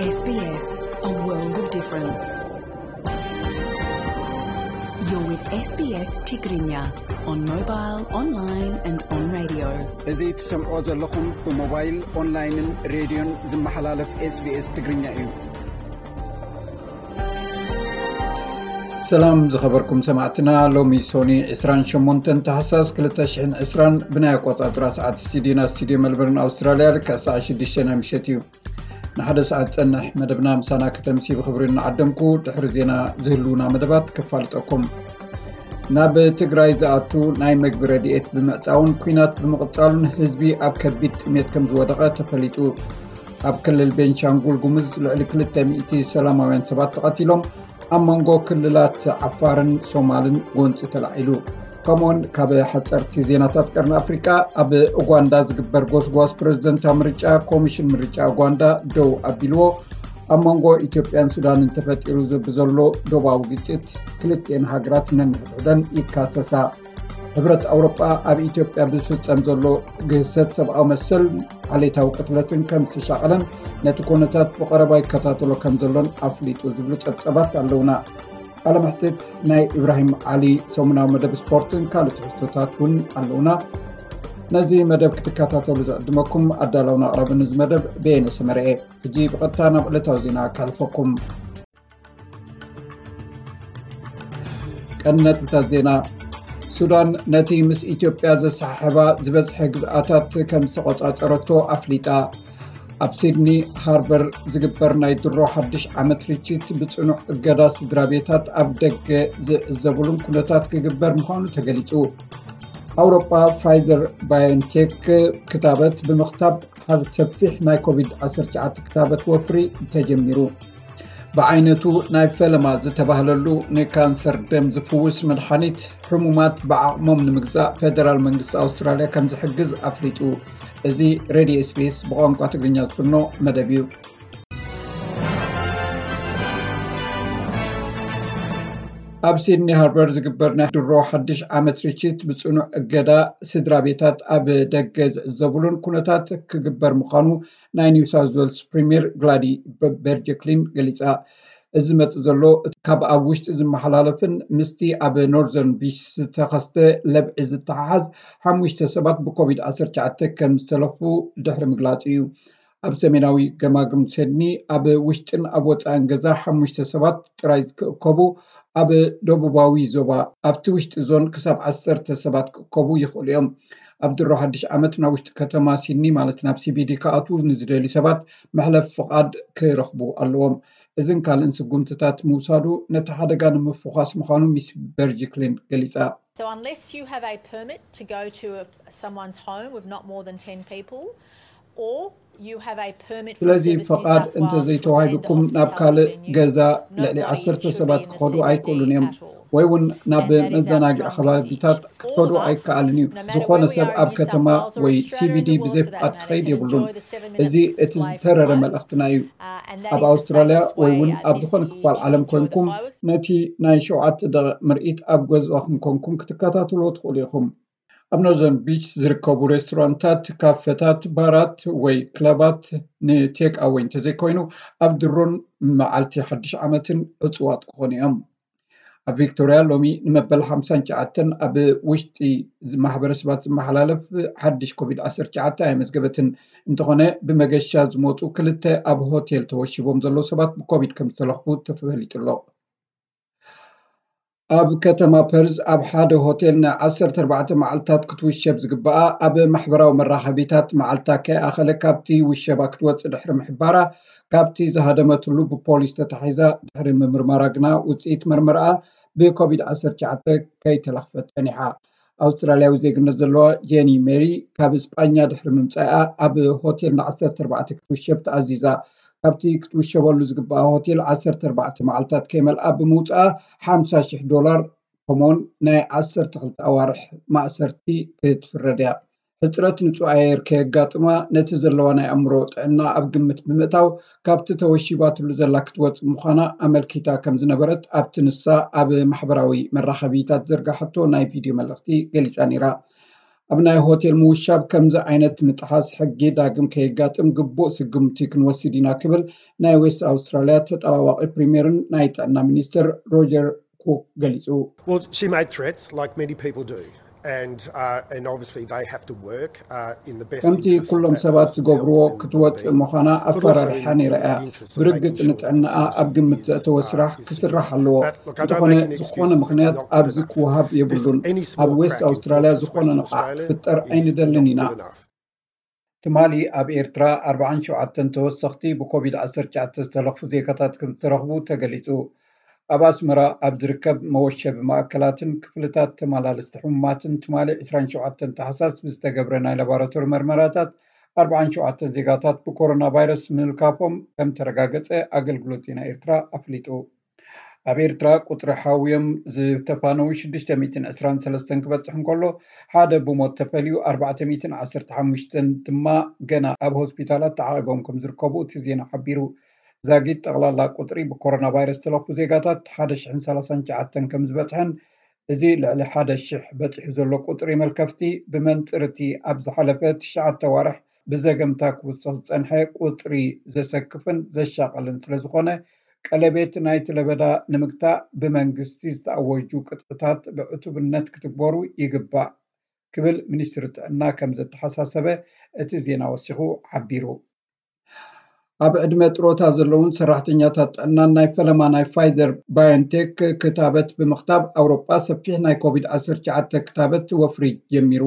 S B S, a world of difference. You're with S B S Tigrinya on mobile, online and on radio. እዚ ትሰምዖ ዘለኹም ብሞባይል፣ ኦንላይንን ሬድዮን ዝመሓላለፍ SBS ትግርኛ እዩ። ሰላም ዝኸበርኩም ሰማዕትና፣ ሎሚ ሶኒ ዕስራን ሸሞንተን ታሕሳስ ክልተ ሽሕን ዕስራን ብናይ ኣቆጻጽራ ሰዓት ስቱዲዮና ስቱዲዮ መልበርን ኣውስትራልያ ልክዕ ሰዓት ሽዱሽተ ናይ ምሸት እዩ። ንሓደ ሰዓት ዝጸንሕ መደብና ምሳና ከተምሲ ብኽብሪ እናዓደምኩ ድሕሪ ዜና ዝህልውና መደባት ክፋልጠኩም። ናብ ትግራይ ዝኣቱ ናይ መግቢ ረድኤት ብምዕጻውን ኲናት ብምቕጻሉን ህዝቢ ኣብ ከቢድ ጥሜት ከም ዝወደቐ ተፈሊጡ። ኣብ ክልል ቤንሻንጉል ጉሙዝ ልዕሊ ክልተ ሚእቲ ሰላማውያን ሰባት ተቐቲሎም፣ ኣብ መንጎ ክልላት ዓፋርን ሶማልን ጎንጺ ተላዒሉ። ከምኡውን ካብ ሓጸርቲ ዜናታት ቀርኒ ኣፍሪቃ፣ ኣብ ኡጋንዳ ዝግበር ጎስጓስ ፕረዚደንታዊ ምርጫ ኮሚሽን ምርጫ ኡጋንዳ ደው ኣቢልዎ። ኣብ መንጎ ኢትዮጵያን ሱዳንን ተፈጢሩ ብዘሎ ዶባዊ ግጭት ክልቲኤን ሃገራት ነንሕድሕደን ይካሰሳ። ሕብረት ኣውሮጳ ኣብ ኢትዮጵያ ብዝፍጸም ዘሎ ግህሰት ሰብኣዊ መሰል ዓሌታዊ ቅትለትን ከም ዝተሻቐለን ነቲ ኩነታት ብቐረባ ይከታተሎ ከም ዘሎን ኣፍሊጡ ዝብሉ ጸብጸባት ኣለውና። ቃለ መሕትት ናይ ኢብራሂም ዓሊ ሰሙናዊ መደብ ስፖርትን ካልእ ትሕዝቶታት እውን ኣለውና። ነዚ መደብ ክትከታተሉ ዝዕድመኩም ኣዳላውን ኣቕራብን እዚ መደብ በየነ ሰመረ እየ። ሕጂ ብቐጥታ ናብ ዕለታዊ ዜና ካልፈኩም። ቀንዲ ነጥብታት ዜና። ሱዳን ነቲ ምስ ኢትዮጵያ ዘሰሓሕባ ዝበዝሐ ግዝኣታት ከም ዝተቖጻጸረቶ ኣፍሊጣ። ኣብ ሲድኒ ሃርበር ዝግበር ናይ ድሮ ሓድሽ ዓመት ርችት ብጽኑዕ እገዳ ስድራ ቤታት ኣብ ደገ ዝዕዘቡሉን ኩነታት ክግበር ምዃኑ ተገሊጹ። ኣውሮጳ ፋይዘር ባዮንቴክ ክታበት ብምኽታብ ሓደ ሰፊሕ ናይ ኮቪድ ዓሰርተ ትሽዓተ ክታበት ወፍሪ ተጀሚሩ። ብዓይነቱ ናይ ፈለማ ዝተባህለሉ ንካንሰር ደም ዝፍውስ መድሓኒት ሕሙማት ብዓቕሞም ንምግዛእ ፌደራል መንግስቲ ኣውስትራልያ ከም ዝሕግዝ ኣፍሊጡ። እዚ ሬድዮ SBS ብቋንቋ ትግርኛ ዝፍኖ መደብ እዩ። ኣብ ሲድኒ ሃርበር ዝግበር ናይ ድሮ ሓድሽ ዓመት ርችት ብጽኑዕ እገዳ ስድራ ቤታት ኣብ ደገ ዝዕዘቡሉን ኩነታት ክግበር ምዃኑ ናይ ኒው ሳውዝ ዌልስ ፕሪምየር ግላዲ በርጀክሊን ገሊጻ። እዚ መጽእ ዘሎ ካብ ኣብ ውሽጢ ዝመሓላለፍን ምስቲ ኣብ ኖርዘርን ቢች ዝተኸስተ ለብዒ ዝተሓሓዝ ሓሙሽተ ሰባት ብኮቪድ ዓሰርተ ትሽዓተ ከም ዝተለፉ ድሕሪ ምግላጹ እዩ። ኣብ ሰሜናዊ ገማግም ሴድኒ ኣብ ውሽጥን ኣብ ወጻእን ገዛ ሓሙሽተ ሰባት ጥራይ ክእከቡ፣ ኣብ ደቡባዊ ዞባ ኣብቲ ውሽጢ ዞን ክሳብ ዓሰርተ ሰባት ክእከቡ ይኽእሉ እዮም። ኣብ ድሮ ሓድሽ ዓመት ናብ ውሽጢ ከተማ ሲድኒ ማለት ናብ CBD ክኣትዉ ንዝደልዩ ሰባት መሕለፍ ፍቓድ ክረኽቡ ኣለዎም። እዝን ካልእን ስጉምትታት ምውሳዱ ነቲ ሓደጋ ንምፍዃስ ምዃኑ ሚስ በርጅክሊን ገሊጻ። So unless you have a permit to go to a, someone's home with not more than ten people, or you have a permit for ስለዚ services ፈቓድ New South Wales to እንተዘይተዋሂብኩም ናብ ካልእ ገዛ ልዕሊ ዓሰርተ ሰባት ክኸዱ ኣይክእሉን እዮም። ወይ እውን ናብ መዘናግዒ ከባቢታት ክትኸዱ ኣይከኣልን እዩ። ዝኾነ ሰብ ኣብ ከተማ ወይ CBD ብዘይ ፍቓድ ክኸይድ የብሉን። እዚ እቲ ዝተረረ መልእኽትና እዩ። ኣብ ኣውስትራልያ ወይ እውን ኣብ ዝኾነ ክፋል ዓለም ኮንኩም ነቲ ናይ ሸውዓተ ደቂቕ ምርኢት ኣብ ገዛኹም ኮንኩም ክትከታተልዎ ትኽእሉ ኢኹም። ኣብ ኖርዘርን ቢች ዝርከቡ ሬስቶራንታት፣ ካፈታት፣ ባራት ወይ ክለባት ንቴክ ኣወይ እንተዘይኮይኑ ኣብ ድሮን መዓልቲ ሓድሽ ዓመትን ዕጹዋት ክኾኑ እዮም። ኣብ ቪክቶርያ ሎሚ ንመበል ሓምሳን ትሽዓተን ኣብ ውሽጢ ማሕበረሰባት ዝመሓላለፍ ሓድሽ ኮቪድ ዓሰርተ ትሽዓተ ኣየመዝገበትን። እንተኾነ ብመገሻ ዝመፁ ክልተ ኣብ ሆቴል ተወሺቦም ዘለዉ ሰባት ብኮቪድ ከም ዝተለኽፉ ተፈሊጡ ኣሎ። ኣብ ከተማ ፐርዝ ኣብ ሓደ ሆቴል ንዓሰርተ ኣርባዕተ መዓልታት ክትውሸብ ዝግበኣ ኣብ ማሕበራዊ መራኸቢታት መዓልታ ከይኣኸለ ካብቲ ውሸባ ክትወፅእ ድሕሪ ምሕባራ፣ ካብቲ ዝሃደመትሉ ብፖሊስ ተታሒዛ። ድሕሪ ምምርማራ ግና ውፅኢት መርመርኣ ብኮቪድ ዓሰርተ ትሽዓተ ከይተለኽፈት ጸኒሓ። ኣውስትራልያዊ ዜግነት ዘለዋ ጄኒ ሜሪ ካብ ስጳኛ ድሕሪ ምምጻኣ ኣብ ሆቴል ንዓሰርተ ኣርባዕተ ክትውሸብ ተኣዚዛ። ካብቲ ክትውሸበሉ ዝግበኣ ሆቴል ዓሰርተ ኣርባዕተ መዓልታት ከይመልኣ ብምውጻኣ ሓምሳ ሽሕ ዶላር ከምኡውን ናይ ዓሰርተ ክልተ ኣዋርሕ ማእሰርቲ ክትፍረድ እያ። ሕጽረት ንጹህ ኣየር ከየጋጥማ ነቲ ዘለዋ ናይ ኣእምሮ ጥዕና ኣብ ግምት ብምእታው ካብቲ ተወሺባትሉ ዘላ ክትወጽእ ምዃና ኣመልኪታ ከም ዝነበረት ኣብቲ ንሳ ኣብ ማሕበራዊ መራኸቢታት ዘርጋሐቶ ናይ ቪድዮ መልእኽቲ ገሊጻ ነይራ። ኣብ ናይ ሆቴል ምውሻብ ከምዚ ዓይነት ምጥሓስ ሕጊ ዳግም ከየጋጥም ግቡእ ስጉምቲ ክንወስድ ኢና ክብል ናይ ዌስት ኣውስትራልያ ተጠባባቒ ፕሪምየርን ናይ ጥዕና ሚኒስትር ሮጀር ኩክ ገሊጹ። Well, she made threats like many people do. And, uh, and obviously they have to work uh, in the best ከምቲ ኩሎም ሰባት ዝገብርዎ ክትወፅእ ምዃና ኣፈራርሓ ነይራ እያ። ብርግፅ ንጥዕናኣ ኣብ ግምት ዘእተወ ስራሕ ክስራሕ ኣለዎ። እንተኾነ ዝኾነ ምኽንያት ኣብዚ ክወሃብ የብሉን። ኣብ ዌስት ኣውስትራልያ ዝኾነ ንቕሓት ክፍጠር ኣይንደልን ኢና። ትማሊ ኣብ ኤርትራ ኣርባዓን ሸውዓተን ተወሰኽቲ ብኮቪድ ዓሰርተ ትሽዓተ ዝተለኽፉ ዜጋታት ከም ዝተረኽቡ ተገሊጹ። ኣብ ኣስመራ ኣብ ዝርከብ መወሸቢ ማእከላትን ክፍልታት ተመላለስቲ ሕሙማትን ትማሊ ዕስራን ሸውዓተን ታሕሳስ ብዝተገብረ ናይ ላቦራቶሪ መርመራታት ኣርባዓን ሸውዓተን ዜጋታት ብኮሮና ቫይረስ ምልካፎም ከም ተረጋገጸ ኣገልግሎት ዜና ኤርትራ ኣፍሊጡ። ኣብ ኤርትራ ቁጽሪ ሓውዮም ዝተፋነዉ ሽዱሽተ ሚእትን ዕስራን ሰለስተን ክበጽሕ እንከሎ፣ ሓደ ብሞት ተፈልዩ ኣርባዕተ ሚእትን ዓሰርተ ሓሙሽተን ድማ ገና ኣብ ሆስፒታላት ተዓቒቦም ከም ዝርከቡ እቲ ዜና ሓቢሩ። ዛጊድ ጠቕላላ ቁጽሪ ብኮሮና ቫይረስ ዝተለኽፉ ዜጋታት ሓደ ሽሕን ሰላሳን ትሽዓተን ከም ዝበጽሐን፣ እዚ ልዕሊ ሓደ ሽሕ በጺሑ ዘሎ ቁጽሪ መልከፍቲ ብመንጽር እቲ ኣብ ዝሓለፈ ትሽዓተ ዋርሕ ብዘገምታ ክውስኽ ዝጸንሐ ቁጽሪ ዘሰክፍን ዘሻቐልን ስለ ዝኾነ፣ ቀለቤት ናይቲ ለበዳ ንምግታእ ብመንግስቲ ዝተኣወጁ ቅጥዕታት ብዕቱብነት ክትግበሩ ይግባእ ክብል ሚኒስትሪ ጥዕና ከም ዘተሓሳሰበ እቲ ዜና ወሲኹ ሓቢሩ። ኣብ ዕድመ ጥሮታ ዘለውን ሰራሕተኛታት ጥዕናን ናይ ፈለማ ናይ ፋይዘር ባዮንቴክ ክታበት ብምኽታብ ኣውሮጳ ሰፊሕ ናይ ኮቪድ ዓሰርተ ትሽዓተ ክታበት ወፍሪ ጀሚሩ።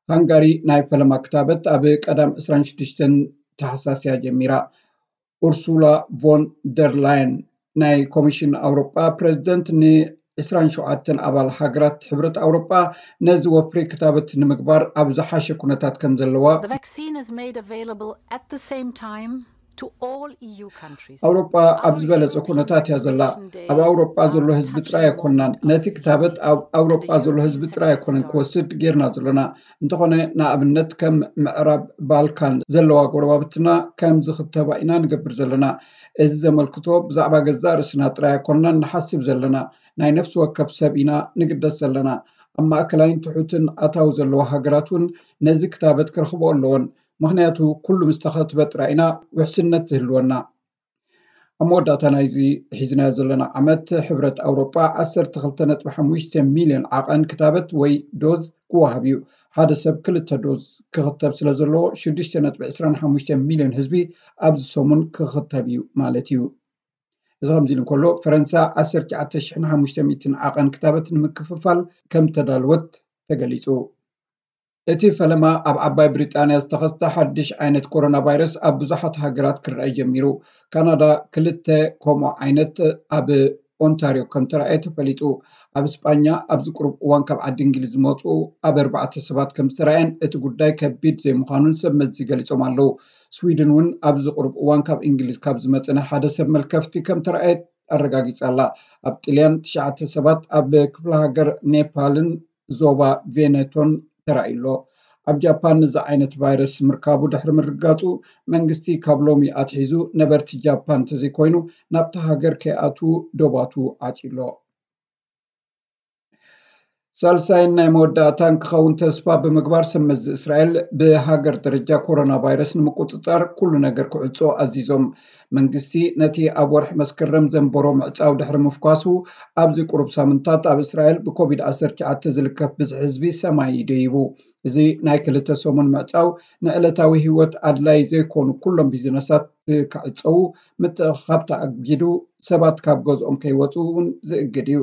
ሃንጋሪ ናይ ፈለማ ክታበት ኣብ ቀዳም ዕስራን ሽዱሽተን ታሕሳስ እያ ጀሚራ። ኡርሱላ ቮን ደር ላየን ናይ ኮሚሽን ኣውሮጳ ፕሬዚደንት ን ዕስራን ሸውዓተን ኣባል ሃገራት ሕብረት ኣውሮጳ ነዚ ወፍሪ ክታበት ንምግባር ኣብ ዝሓሸ ኩነታት ከም ዘለዋ The vaccine is made available at the same time to all E U countries. ኣውሮጳ ኣብ ዝበለጸ ኩነታት እያ ዘላ። ኣብ ኣውሮጳ ዘሎ ህዝቢ ጥራይ ኣይኮናን ነቲ ክታበት ኣብ ኣውሮጳ ዘሎ ህዝቢ ጥራይ ኣይኮነን ክወስድ ጌርና ዘለና። እንተኾነ ንኣብነት ከም ምዕራብ ባልካን ዘለዋ ጎረባብትና ከም ዝኽተባ ኢና ንገብር ዘለና። እዚ ዘመልክቶ ብዛዕባ ገዛእ ርእስና ጥራይ ኣይኮናን ንሓስብ ዘለና፣ ናይ ነፍሲ ወከፍ ሰብ ኢና ንግደስ ዘለና። ኣብ ማእከላይን ትሑትን ኣታዊ ዘለዋ ሃገራት እውን ነዚ ክታበት ክረኽቦ ኣለዎን። ምኽንያቱ ኩሉ ምስ ተኸትበ ጥራይ ኢና ውሕስነት ዝህልወና። ኣብ መወዳእታ ናይዚ ሒዝናዮ ዘለና ዓመት ሕብረት ኣውሮጳ ዓሰርተ ክልተ ነጥቢ ሓሙሽተ ሚልዮን ዓቐን ክታበት ወይ ዶዝ ክወሃብ እዩ። ሓደ ሰብ ክልተ ዶዝ ክኽተብ ስለ ዘለዎ ሽዱሽተ ነጥቢ ዕስራን ሓሙሽተ ሚልዮን ህዝቢ ኣብዚ ሰሙን ክኽተብ እዩ ማለት እዩ። እዚ ከምዚ ኢሉ እንከሎ ፈረንሳ ዓሰርተ ትሽዓተ ሽሕን ሓሙሽተ ሚእትን ዓቐን ክታበት ንምክፍፋል ከም ተዳልወት ተገሊጹ። እቲ ፈለማ ኣብ ዓባይ ብሪጣንያ ዝተኸስተ ሓድሽ ዓይነት ኮሮና ቫይረስ ኣብ ብዙሓት ሃገራት ክረአ ጀሚሩ። ካናዳ ክልተ ከምኡ ዓይነት ኣብ ኦንታርዮ ከም ተራእየ ተፈሊጡ። ኣብ ስጳኛ ኣብዚ ቁሩብ እዋን ካብ ዓዲ እንግሊዝ ዝመፁ ኣብ ኣርባዕተ ሰባት ከም ዝተራእየን እቲ ጉዳይ ከቢድ ዘይምዃኑን ሰብ መዚ ገሊፆም ኣለዉ። ስዊድን እውን ኣብዚ ቁሩብ እዋን ካብ እንግሊዝ ካብ ዝመፀ ናይ ሓደ ሰብ መልከፍቲ ከም ተራእየ ኣረጋጊፃ ኣላ። ኣብ ጥልያን ትሽዓተ ሰባት ኣብ ክፍለ ሃገር ኔፓልን ዞባ ቬኔቶን ተራእዩ ኣሎ። ኣብ ጃፓን እዚ ዓይነት ቫይረስ ምርካቡ ድሕሪ ምርጋፁ መንግስቲ ካብ ሎሚ ኣትሒዙ ነበርቲ ጃፓን እንተዘይኮይኑ ናብቲ ሃገር ከይኣትዉ ዶባቱ ዓፅዩ ኣሎ። ሳልሳይን ናይ መወዳእታን ክኸውን ተስፋ ብምግባር ሰብ መዚ እስራኤል ብሃገር ደረጃ ኮሮና ቫይረስ ንምቁፅፃር ኩሉ ነገር ክዕፆ ኣዚዞም። መንግስቲ ነቲ ኣብ ወርሒ መስከረም ዘንበሮ ምዕፃው ድሕሪ ምፍኳሱ ኣብዚ ቁሩብ ሳምንታት ኣብ እስራኤል ብኮቪድ ዓሰርተ ትሽዓተ ዝልከፍ ብዝሒ ህዝቢ ሰማይ ደይቡ። እዚ ናይ ክልተ ሰሙን ምዕፃው ንዕለታዊ ህይወት ኣድላይ ዘይኮኑ ኩሎም ቢዝነሳት ክዕፀዉ፣ ምትእኽኻብ ተኣጊዱ፣ ሰባት ካብ ገዝኦም ከይወፁ እውን ዝእግድ እዩ።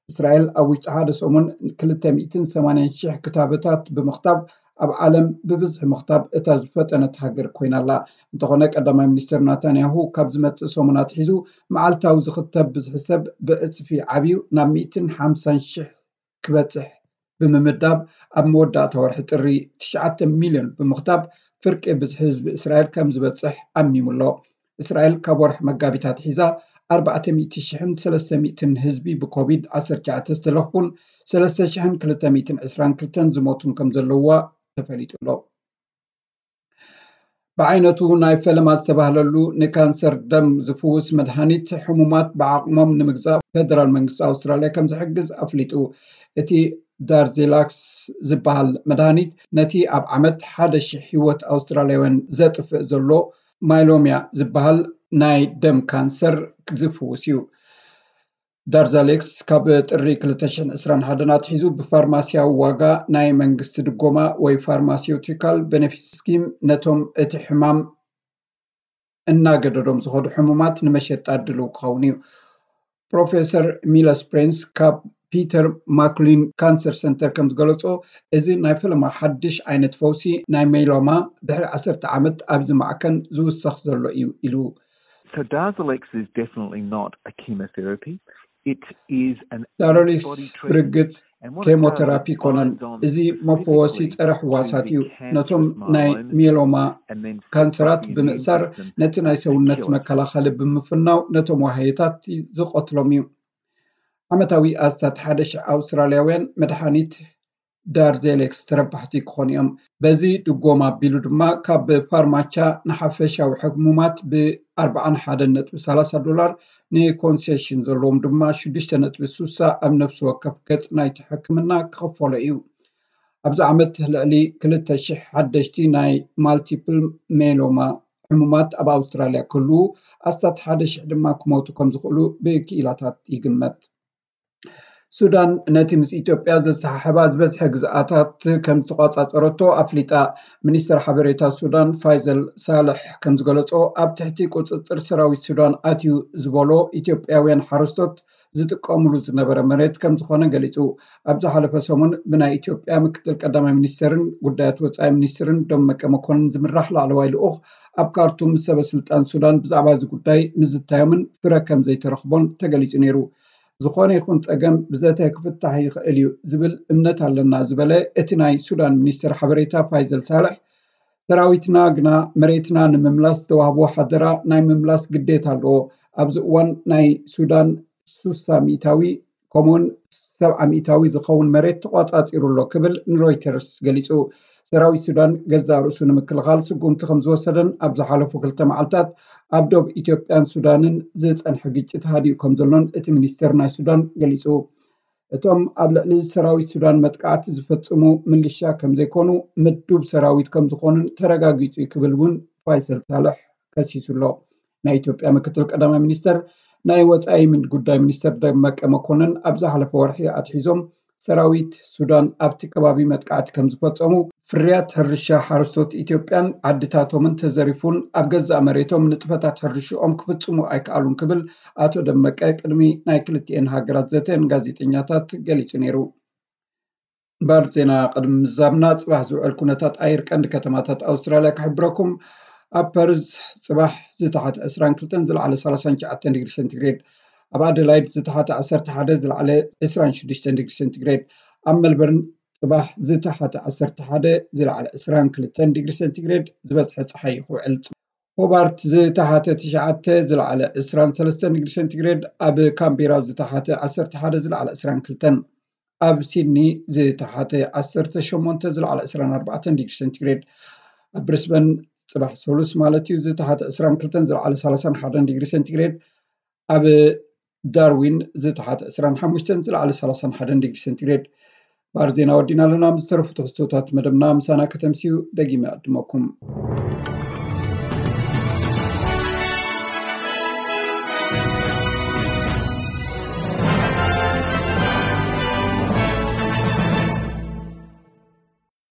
እስራኤል ኣብ ውሽጢ ሓደ ሰሙን ክልተ ሚእትን ሰማንያን ሽሕ ክታበታት ብምኽታብ ኣብ ዓለም ብብዝሒ ምኽታብ እታ ዝፈጠነት ሃገር ኮይና ኣላ። እንተኾነ ቀዳማይ ሚኒስትር ናታንያሁ ካብ ዝመፅእ ሰሙን ኣትሒዙ መዓልታዊ ዝኽተብ ብዝሒ ሰብ ብዕፅፊ ዓብዩ ናብ ሚእትን ሓምሳን ሽሕ ክበፅሕ ብምምዳብ ኣብ መወዳእታ ወርሒ ጥሪ ትሽዓተ ሚልዮን ብምኽታብ ፍርቂ ብዝሒ ህዝቢ እስራኤል ከም ዝበፅሕ ኣሚሙ ኣሎ። እስራኤል ካብ ወርሒ መጋቢት ኣትሒዛ ኣርባዕተ ሚእቲ ሽሕን ሰለስተ ሚእትን ህዝቢ ብኮቪድ ዓሰርተ ትሽዓተ ዝተለኽፉን ሰለስተ ሽሕን ክልተ ሚእትን ዕስራን ክልተን ዝሞቱን ከም ዘለውዋ ተፈሊጡ ኣሎ። ብዓይነቱ ናይ ፈለማ ዝተባህለሉ ንካንሰር ደም ዝፍውስ መድሃኒት ሕሙማት ብዓቕሞም ንምግዛእ ፌደራል መንግስቲ ኣውስትራልያ ከም ዝሕግዝ ኣፍሊጡ። እቲ ዳርዜላክስ ዝበሃል መድሃኒት ነቲ ኣብ ዓመት ሓደ ሽሕ ህይወት ኣውስትራልያውያን ዘጥፍእ ዘሎ ማይሎሚያ ዝበሃል ናይ ደም ካንሰር ዝፍውስ እዩ። ዳርዛሌክስ ካብ ጥሪ ክልተ ሽሕን ዕስራን ሓደን ኣትሒዙ ብፋርማሲያዊ ዋጋ ናይ መንግስቲ ድጎማ ወይ ፋርማሲውቲካል ቤነፊት ስኪም ነቶም እቲ ሕማም እናገደዶም ዝኸዱ ሕሙማት ንመሸጣ ድልው ክኸውን እዩ። ፕሮፌሰር ሚለስ ፕሬንስ ካብ ፒተር ማክሊን ካንሰር ሰንተር ከም ዝገለጾ፣ እዚ ናይ ፈለማ ሓድሽ ዓይነት ፈውሲ ናይ ሜሎማ ድሕሪ ዓሰርተ ዓመት ኣብዚ ማዕከን ዝውሰኽ ዘሎ እዩ ኢሉ። So Darzalex is definitely not a chemotherapy. It is an ዳርዛሌክስ antibody treatment. ብርግጽ And what it ኬሞቴራፒ does, it ኮነን binds on እዚ መፈወሲ specifically ጸረ to ሕዋሳት the እዩ። cancerous ነቶም ናይ myeloma ሚየሎማ and then ካንሰራት the immune ብምእሳር system ነቲ ናይ ሰውነት መከላኸሊ ብምፍናው ነቶም ዋህዮታት ዝቐትሎም እዩ። ዓመታዊ ኣስታት ሓደ ሽሕ ኣውስትራልያውያን መድሓኒት ዳርዜሌክስ ተረባሕቲ ክኾኑ እዮም። በዚ ድጎማ ኣቢሉ ድማ ካብ ፋርማቻ ንሓፈሻዊ ሕሙማት ብ ኣርብዓን ሓደን ነጥቢ ሰላሳ ዶላር፣ ንኮንሴሽን ዘለዎም ድማ ሽዱሽተ ነጥቢ ስሳ ኣብ ነፍሲ ወከፍ ገጽ ናይቲ ሕክምና ክኽፈሎ እዩ። ኣብዚ ዓመት ልዕሊ ክልተ ሽሕ ሓደሽቲ ናይ ማልቲፕል ሜሎማ ሕሙማት ኣብ ኣውስትራልያ ክህልዉ፣ ኣስታት ሓደ ሽሕ ድማ ክሞቱ ከም ዝኽእሉ ብክኢላታት ይግመት። ሱዳን ነቲ ምስ ኢትዮጵያ ዘሰሓሕባ ዝበዝሐ ግዝኣታት ከም ዝተቋጻጸረቶ ኣፍሊጣ። ሚኒስተር ሓበሬታ ሱዳን ፋይዘል ሳልሕ ከም ዝገለጾ፣ ኣብ ትሕቲ ቁጽጽር ሰራዊት ሱዳን ኣትዩ ዝበሎ ኢትዮጵያውያን ሓረስቶት ዝጥቀምሉ ዝነበረ መሬት ከም ዝኾነ ገሊጹ። ኣብ ዝሓለፈ ሰሙን ብናይ ኢትዮጵያ ምክትል ቀዳማይ ሚኒስተርን ጉዳያት ወጻኢ ሚኒስትርን ደመቀ መኮንን ዝምራሕ ላዕለዋይ ልኡኽ ኣብ ካርቱም ምስ ሰበ ስልጣን ሱዳን ብዛዕባ እዚ ጉዳይ ምዝታዮምን ፍረ ከም ዘይተረኽቦን ተገሊጹ ነይሩ። ዝኾነ ይኹን ጸገም ብዘተ ክፍታሕ ይኽእል እዩ ዝብል እምነት ኣለና ዝበለ እቲ ናይ ሱዳን ሚኒስትር ሓበሬታ ፋይዘል ሳልሕ፣ ሰራዊትና ግና መሬትና ንምምላስ ዝተዋህቦ ሓደራ ናይ ምምላስ ግዴታ ኣለዎ። ኣብዚ እዋን ናይ ሱዳን ሱሳ ሚእታዊ ከምኡውን ሰብዓ ሚእታዊ ዝኸውን መሬት ተቋጻጺሩ ኣሎ ክብል ንሮይተርስ ገሊጹ። ሰራዊት ሱዳን ገዛእ ርእሱ ንምክልኻል ስጉምቲ ከም ዝወሰደን ኣብ ዝሓለፉ ክልተ መዓልታት ኣብ ዶብ ኢትዮጵያን ሱዳንን ዝጸንሐ ግጭት ሃዲኡ ከም ዘሎን እቲ ሚኒስቴር ናይ ሱዳን ገሊጹ። እቶም ኣብ ልዕሊ ሰራዊት ሱዳን መጥቃዕቲ ዝፈጽሙ ምልሻ ከም ዘይኮኑ ምዱብ ሰራዊት ከም ዝኾኑን ተረጋጊጹ እዩ ክብል እውን ፋይሰል ሳልሕ ከሲሱ ኣሎ። ናይ ኢትዮጵያ ምክትል ቀዳማይ ሚኒስተር ናይ ወጻኢ ምን ጉዳይ ሚኒስተር ደመቀ መኮንን ኣብ ዝሓለፈ ወርሒ ኣትሒዞም ሰራዊት ሱዳን ኣብቲ ከባቢ መጥቃዕቲ ከም ዝፈጸሙ፣ ፍርያት ሕርሻ ሓረስቶት ኢትዮጵያን ዓድታቶምን ተዘሪፉን ኣብ ገዛእ መሬቶም ንጥፈታት ሕርሽኦም ክፍጽሙ ኣይከኣሉን ክብል ኣቶ ደመቀ ቅድሚ ናይ ክልቲኤን ሃገራት ዘተ ንጋዜጠኛታት ገሊጹ ነይሩ። እምበር ዜና ቅድሚ ምዛምና ጽባሕ ዝውዕል ኩነታት ኣየር ቀንዲ ከተማታት ኣውስትራልያ ክሕብረኩም። ኣብ ፐርዝ ጽባሕ ዝተሓተ ዕስራን ክልተን ዝለዓለ ሰላሳን ትሽዓተን ዲግሪ ሴንቲግሬድ፣ ኣብ ኣደላይድ ዝተሓተ ዓሰርተ ሓደ ዝለዓለ ዕስራን ሽዱሽተን ዲግሪ ሴንቲግሬድ፣ ኣብ ሜልበርን ጽባሕ ዝተሓተ ዓሰርተ ሓደ ዝለዓለ ዕስራን ክልተን ዲግሪ ሴንቲግሬድ፣ ዝበዝሐ ጸሓይ ክውዕል። ሆባርት ዝተሓተ ትሽዓተ ዝለዓለ ዕስራን ሰለስተን ዲግሪ ሴንቲግሬድ፣ ኣብ ካምቤራ ዝተሓተ ዓሰርተ ሓደ ዝለዓለ ዕስራን ክልተን፣ ኣብ ሲድኒ ዝተሓተ ዓሰርተ ሸሞንተ ዝለዓለ ዕስራን ኣርባዕተን ዲግሪ ሴንቲግሬድ፣ ኣብ ብሪስበን ጽባሕ ሰሉስ ማለት እዩ ዝተሓተ ዕስራን ክልተን ዝለዓለ ሰላሳን ሓደን ዲግሪ ሴንቲግሬድ፣ ኣብ ዳርዊን ዝተሓተ ዕስራን ሓሙሽተን ዝለዓለ ሰላሳን ሓደን ዲግሪ ሴንቲግሬድ። ባር ዜና ወዲና ኣለና። ምስ ዝተረፉ ትሕዝቶታት መደብና ምሳና ከተምስዩ ደጊመ ይዕድመኩም።